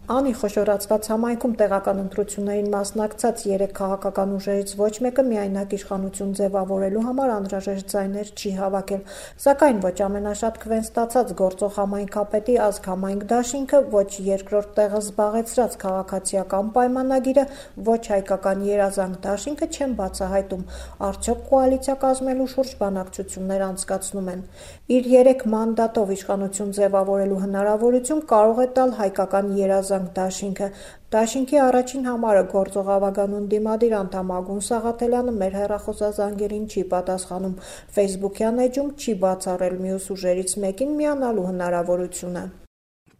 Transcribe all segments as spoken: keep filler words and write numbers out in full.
Անի խոշորացված համայնքում տեղական ընտրություններին մասնակցած երեք քաղաքական ուժերից ոչ մեկը միայնակ իշխանություն ձևավորելու համար անհրաժեշտ ձայներ չի հավաքել, սակայն ոչ ամենաշատ քվեն ստացած գործող համայնքապետի ազգ համայնք դաշինքը, ոչ երկրորդ տեղը զբաղեցրած քաղաքացիական պայմանագիրը, ոչ հայկական երազանք դաշինքը չեն բացահայտում, արդյոք կոալիցիա կազմելու շուրջ բանակցություններ անցկացնում են։ Իր երեք մանդատով իշխանություն ձևավորելու հնարավորություն կարող է տալ հայկական երազանք դաշինքը։ Դաշինքի առաջին համարը գործող ավագանուն դիմադիր անդամ Ագուն Սաղաթելյանը մեր հեռախոսազանգերին չի պատասխանում, ֆեյսբուքյան էջում չի բացառել մյուս ուժերից մեկին միանալու հնարավորությունը։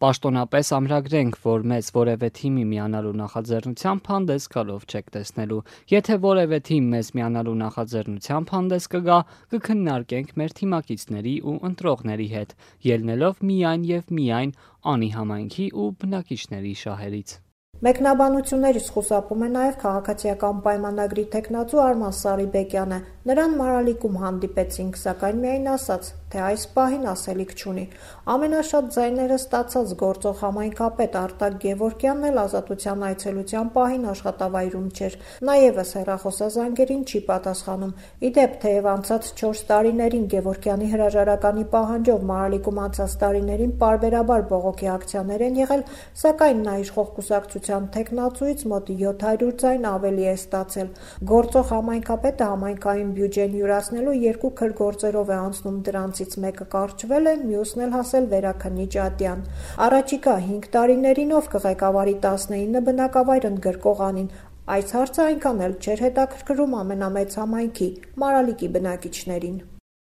Պաշտոնապես ամրագրենք, որ մեզ որևէ թիմի միանալու նախաձեռնությամբ հանդես գալով չեք տեսնելու։ Եթե որևէ թիմ մեզ միանալու նախաձեռնությամբ հանդես կգա, կքննարկենք մեր թիմակիցների ու ընտրողների հետ, ելնելով միայն եւ միայն Անի համայնքի ու բնակիչների շահերից։ Մեկնաբանություններից խուսափում է նաև քաղաքացիական պայմանագրի թեկնածու Արման Սարիբեկյանը։ Նրան Մարալիկում հանդիպեցինք, սակայն միայն ասաց, թե այս պահին ասելիք չունի։ Ամենաշատ ձայները ստացած գործող համայնքապետ Արտակ Գևորգյանն էլ ազատության այցելության պահին աշխատավայրում չէր։ Նա ևս հեռախոսազանգերին չի պատասխանում։ Ի դեպ, թեև անցած չորս տարիներին Գևորգյանի հրաժարականի պահանջով Մարալիկում անցած տարիներին պարբերաբար բողոքի ակցիաներ են եղել, սակայն նա իշխող կուսակցության թեկնածուից մոտ յոթ հարյուր ձայն ավելի է ստացել։ Գործող համայնքապետը համայնքային բյուջեն յուրացնելու երկու քրգործերով է անցնում, դրանցից մեկը կարճվել է, մյուսն էլ հասել Վերաքննիչ ատյան։ Առաջիկա հինգ տարիներին ով կղեկավարի տասնինը բնակավայր ընդգրկող Անին։ Այս հարցը այնքան էլ չէր հետաքրքրում ամենամեծ համայնքի՝ Մարալիկի բնակիչներին։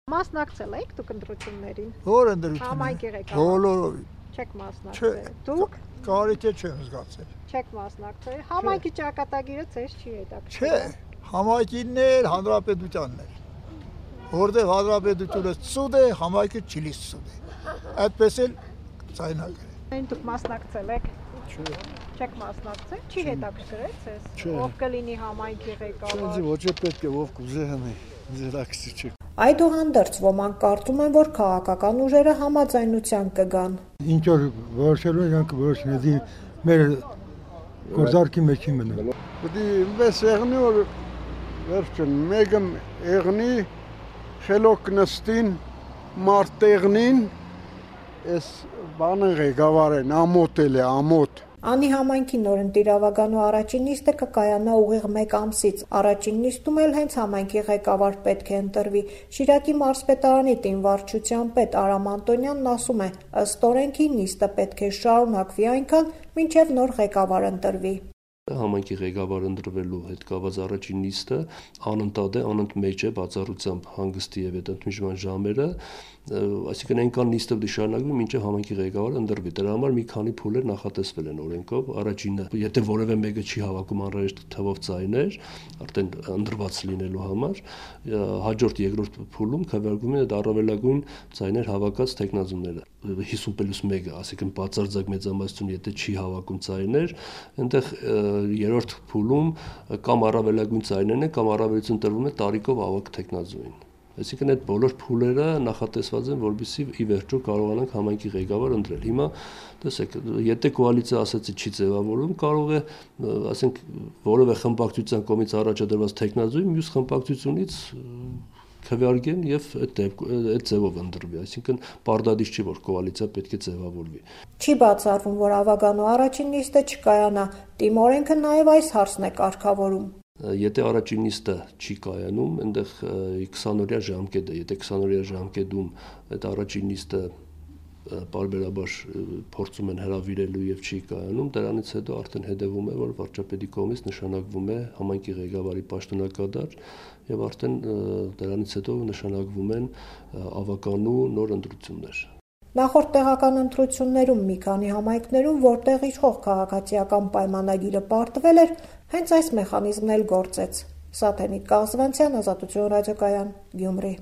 Մասնակցել եք դուք ընտրություններին։ Որ ընտրություններին։ Համայնքի ղեկավար։ Բոլորովին։ Չեք մասնակցել։ Դուք կարիք է չեմ զգացել։ Չեք մասնակցել։ Համայնքի ճակատագիրը ձեզ չի հետաքրքրում։ Չէ, համայնքինն էր, հանրապետությանն էր։ Որտեղ հանրապետությունը ծուդ է, համայնքը չի ծուդ է։ Այդպես էլ ցայնագրել։ Այն դուք մասնակցել եք։ Չէ։ Չեք մասնակցել, չի հետաքրքրել ձեզ։ Չէ։ Ով կլինի համայնքի ղեկավար։ Չէ, ոչ է պետք է ով կուզե հնի, ձերակցի չի։ Այդուհանդերձ ոմանք կարծում են, որ քաղաքական ուժերը համաձայնության կգան։ Ինչ որ որոշելու ենք որոշնեդի մեր գործարքի մեջ չի մնում։ Պետք է մեզ եղնի որ վերջն մեկը եղնի խելոք նստին մարտեղնին այս բանը ղեկավարեն ամոթել է ամոթ։ Անի համայնքի նորընտիր ավագանու առաջին նիստը կկայանա ուղիղ մեկ ամսից։ Առաջին նիստում էլ հենց համայնքի ղեկավար պետք է ընտրվի։ Շիրակի մարզպետարանի տին վարչության պետ Արամ Անտոնյանն ասում է, ըստ օրենքի նիստը պետք է շարունակվի այնքան, մինչև նոր ղեկավար ընտրվի։ Համայնքի ղեկավար ընտրվելու հետ կապված առաջին նիստը անընդհատ է, անընդմեջ է բացառությամբ հանգստի եւ այդ ընդմիջման ժամերը, այսինքն այնքան նիստը պետք է շարունակվի, մինչև համայնքի ղեկավարը ընտրվի։ Դրա համար մի քանի փուլեր նախատեսվել են օրենքով։ Առաջինը, եթե որևէ մեկը չի հավաքում անհրաժեշտ թվով ձայներ, արդեն ընտրված լինելու համար, հաջորդ երկրորդ փուլում քվեարկվում են այդ առավելագույն ձայներ հավաքած թեկնածուները։ հիսուն պլյուս մեկը, այսինքն բացարձակ մեծամասնություն, եթե չի հավաքում ձայներ, այնտեղ երրորդ փուլում կամ առավելագույն ձայներն են, կամ առավելություն տրվում է տարիքով ավագ թեկնածուին։ Այսինքն այդ բոլոր փուլերը նախատեսված են, որպեսզի ի վերջո կարողանանք համայնքի ղեկավար ընտրել։ Հիմա տեսեք, եթե կոալիցիա ասացի չի ձևավորվում, կարող է, ասենք, որևէ խմբակցության կողմից առաջադրված թեկնածուի մյուս խմբակցությունից քվեարկեն եւ այդ այդ ձևով ընտրվի, այսինքն պարտադիր չի, որ կոալիցիա պետք է ձևավորվի։ Չի բացառվում, որ ավագանու առաջին նիստը չկայանա, Տիմ օրենքը նաեւ այս հարցն է կարգավորում։ Եթե առաջին նիստը չի կայանում, այնտեղ քսանօրյա ժամկետ է, եթե քսանօրյա ժամկետում այդ առաջին նիստը պարբերաբար փորձում են հրավիրելու եւ չի կայանում, դրանից հետո արդեն հետևում է, որ վարչապետի կողմից նշանակվում է համայնքի ղեկավարի պաշտոնակատար եւ արդեն դրանից հետո նշանակվում են ավականու նոր ընտրություններ։ Նախորդ տեղական ընտրություններում մի քանի համայնքներում, որտեղ իշխող քաղաքացիական պայմանագիրը պարտվել էր, հենց այս մեխանիզմն էլ գործեց։ Սաթենիկ Կազվանցյան, Ազատություն ռադիոկայան, Գյումրի։